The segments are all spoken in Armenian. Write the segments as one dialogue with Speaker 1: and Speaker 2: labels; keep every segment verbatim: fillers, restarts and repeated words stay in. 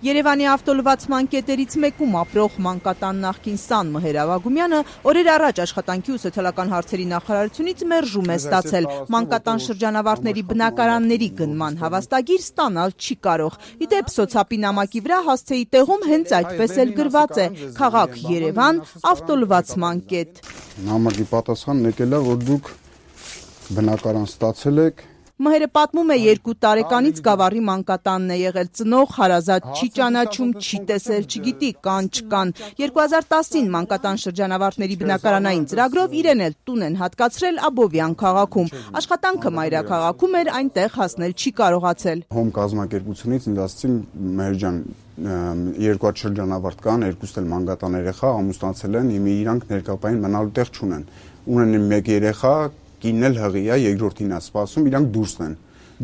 Speaker 1: Երևանի ավտոլվացման կետերից մեկում ապրող մանկատան նախկին սան Մհեր Ավագումյանը օրեր առաջ աշխատանքի ու սոցիալական հարցերի նախարարությունից մերժում է ստացել մանկատան շրջանավարտների բնակարանների գնման հավաստագիր ստանալ չի կարող։ Ի դեպ սոցապի նամակի վրա հասցեի տեղում հենց այդպես էլ գրված է՝ քաղաք Երևան, ավտոլվացման կետ։
Speaker 2: Նամակի պատասխանն եկել է, որ դուք բնակարան ստացել եք։
Speaker 1: Մհերը պատմում է երկու տարեկանից Գավառի մանկատանն է եղել, ծնող հարազատ չի ճանաչում, չի տեսել, չգիտի կան չկան։ երկու հազար տասին մանկատան շրջանավարտների բնակարանային ծրագրով իրեն էլ տուն են հատկացրել Աբովյան քաղաքում։ Աշխատանքը մայրաքաղաքում էր, այնտեղ հասնել չի կարողացել։
Speaker 2: Հոմ կազմակերպությունից ինձ ասացին՝ Մհեր ջան, երկու հատ շրջանավարտ կան, երկուստ էլ մանկատան երեխա ամուսնացել են, հիմա իրանք ներկապային մնալու տեղ չունեն։ Ունեն մեկ երեխա, կինն էլ հղի է, երկրորդին է սպասում, իրանք դուրսն են։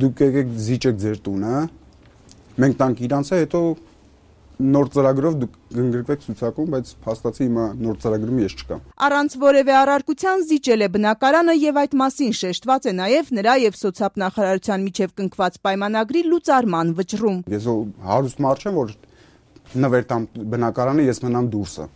Speaker 2: Դուք եկեք զիջեք ձեր տունը, մենք տանք իրանց է, հետո նոր ծրագրով դուք կընդգրկվեք ցուցակում, բայց փաստացի հիմա նոր ծրագրում ես չկամ։
Speaker 1: Առանց որևէ առարկության զիջել է բնակարանը եւ այդ մասին շեշտված է նաեւ նրա եւ սոցիալ նախարարության միջև կնքված պայմանագրի լուծարման վճռում։
Speaker 2: Ես հարուստ մարդ չեմ, որ նվեր տամ բնակարանը, ես մնամ դուրսը։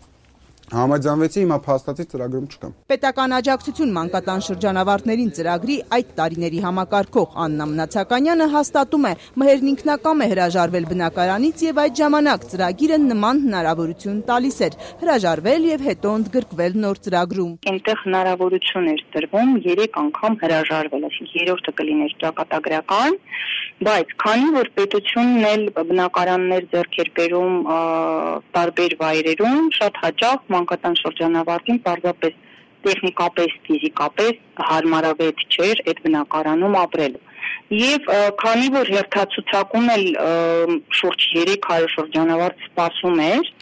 Speaker 2: Համաձայնվեցի, հիմա փաստացի ծրագրում չկամ։
Speaker 1: Պետական աջակցություն մանկատան շրջանավարտներին ծրագրի այդ տարիների համակարգող Աննա Մնացականյանը հաստատում է՝ Մհերն ինքնակամ է հրաժարվել բնակարանից եւ այդ ժամանակ ծրագիրը նման հնարավորություն տալիս էր՝ հրաժարվել եւ հետո ընդգրկվել նոր ծրագրում։
Speaker 3: Այնտեղ հնարավորություն էր տրվում երեք անգամ հրաժարվել, այսինքն երրորդը կլիներ ճակատագրական, բայց քանի որ պետությունն էլ բնակարաններ ձեռք էր բերում տարբեր վայրերում, շատ հաճախ մանկատան շրջանավարտին պարզապես տեխնիկապես, ֆիզիկապես հարմարավետ չէր այդ բնակարանում ապրելու։ Եվ քանի որ հերթացուցակում էլ շուրջ երեք հարյուր շրջանավարտ սպասում էր,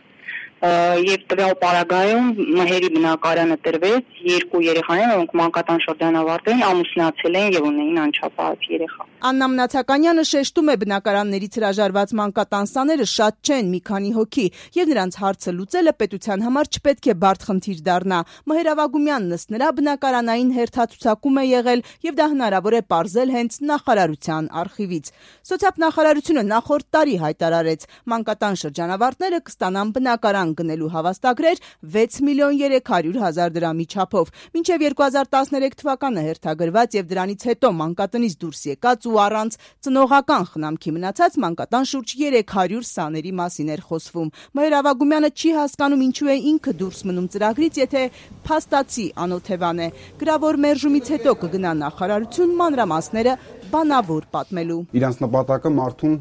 Speaker 3: եւ տվյալ պարագայում Մհերի բնակարանը տրվեց երկու երեխաներին, որոնք մանկատան շրջանավարտ էին, ամուսնացել են եւ ունեին անչափահաս երեխա։
Speaker 1: Աննա Մնացականյանը շեշտում է բնակարաններից հրաժարված մանկատան սաները շատ չեն, մի քանի հոգի, եւ նրանց հարցը լուծելը պետության համար չպետք է բարդ խնդիր դառնա։ Մհեր Ավագումյանն ըստ նրա բնակարանային հերթացուցակում է եղել եւ դա հնարավոր է պարզել հենց նախարարության արխիվից։ Սոցիալ նախարարությունը նախորդ տարի հայտարարեց՝ մանկատան շրջանավարտները կստանան բնակարան գնելու հավաստագրեր վեց միլիոն երեք հարյուր հազար դրամի չափով։ Մինչև երկու հազար տասներեք թվականը հերթագրված եւ դրանից հետո մանկատնից դուրս եկած ու առանց ծնողական խնամքի մնացած մանկատան շուրջ երեք հարյուր սաների մասին էր խոսվում։ Մհեր Ավագումյանը չի հասկանում ինչու է ինքը դուրս մնում ծրագրից, եթե փաստացի անօթևան է։ Գրավոր մերժումից հետո կգնա նախարարություն մանրամասները բանավոր պատմելու։
Speaker 2: Իրանց նպատակը մարդուն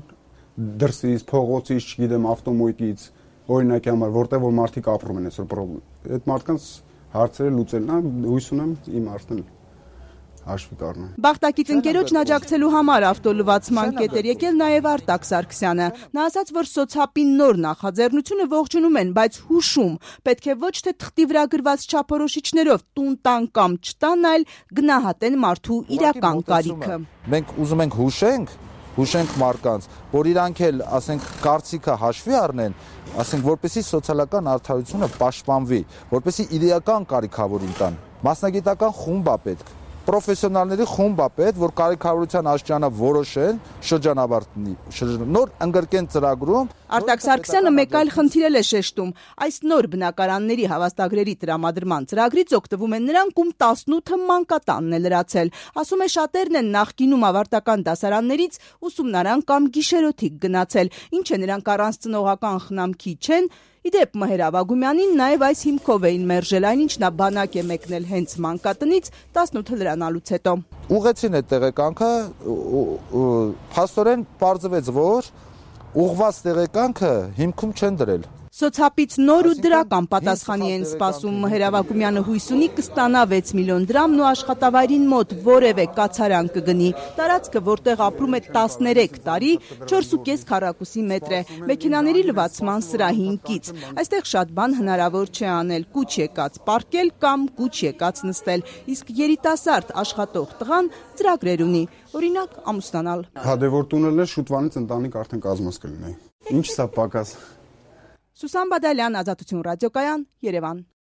Speaker 2: դրսից, փողոցից, չգիտեմ, ավտոմոյկից օրինակի համար, որտեղ որ մարդիկ ապրում են այսօր պրոբլեմ։ Այդ մարդկանց հարցերը լուծելն է, հույս ունեմ իմ արդեն հաշվի կառնեմ։
Speaker 1: Բախտակից ընկերոջն աջակցելու համար ավտոլվացման կետ էր եկել նաև Արտակ Սարգսյանը։ Նա ասաց, որ սոցապի նոր նախաձեռնությունը ողջունում են, բայց հուշում, պետք է ոչ թե թղթի վրա գրված չափորոշիչներով տուն տան կամ չտան, այլ գնահատեն մարդու իրական կարիքը։
Speaker 4: Մենք ուզում ենք հուշենք, հուշենք մարդկանց, որ իրանք էլ, ասենք, կարծիքը հաշվի առնեն, ասենք, որպեսզի սոցիալական արդարությունը պաշտպանվի, որպեսզի իրական կարիքավորին տան։ Մասնագիտական խումբ է պետք, պրոֆեսիոնալների խումբ է պետք, որ կարիքավորության աստիճանը որոշեն, շրջանավարտի, նոր ընդգրկեն ծրագրում։
Speaker 1: Արտակ Սարգսյանը մեկ այլ խնդիր էլ է շեշտում. այս նոր բնակարանների հավաստագրերի տրամադրման ծրագրից օգտվում են նրանք, ում տասնութը մանկատանն է լրացել։ Ասում է, շատերն են նախկինում ավարտական դասարաններից ուսումնարան կամ գիշերօթիկ գնացել, ինչ է նրանք առանց ծնողական խնամքի չեն։ Իդեպ Մհեր Ավագումյանին նաև այս հիմքով էին մերժել, այնինչ նա բանակ է մեկնել հենց մանկատնից տասնութը լրանալուց հետո։
Speaker 4: Ուղղեցին այդ տեղեկանքը, փաստորեն պարզվեց, որ ուղղված տեղեկանքը հիմքում չեն դրել։
Speaker 1: Սոցապից նոր ու դրական պատասխանի են սպասում։ Մհեր Ավագումյանը հույս ունի կստանա վեց միլիոն դրամն ու աշխատավայրին մոտ որևէ կացարան կգնի։ Տարածքը, որտեղ ապրում է տասներեք տարի, չորս ու կես քառակուսի մետր է, մեքենաների լվացման սրահին կից։ Այստեղ շատ բան հնարավոր չէ անել՝ կուչ եկած պարկել կամ կուչ եկած նստել, իսկ երիտասարդ աշխատող տղան ծրագրեր ունի, օրինակ ամուսնանալ։
Speaker 2: Հա դե որ տունել է, շուտվանից ընտանիք արդեն կազմած կլինի։ Ինչ սա պակաս։
Speaker 1: Սուսան Բադալյան, Ազատություն ռադիոկայան, Երևան։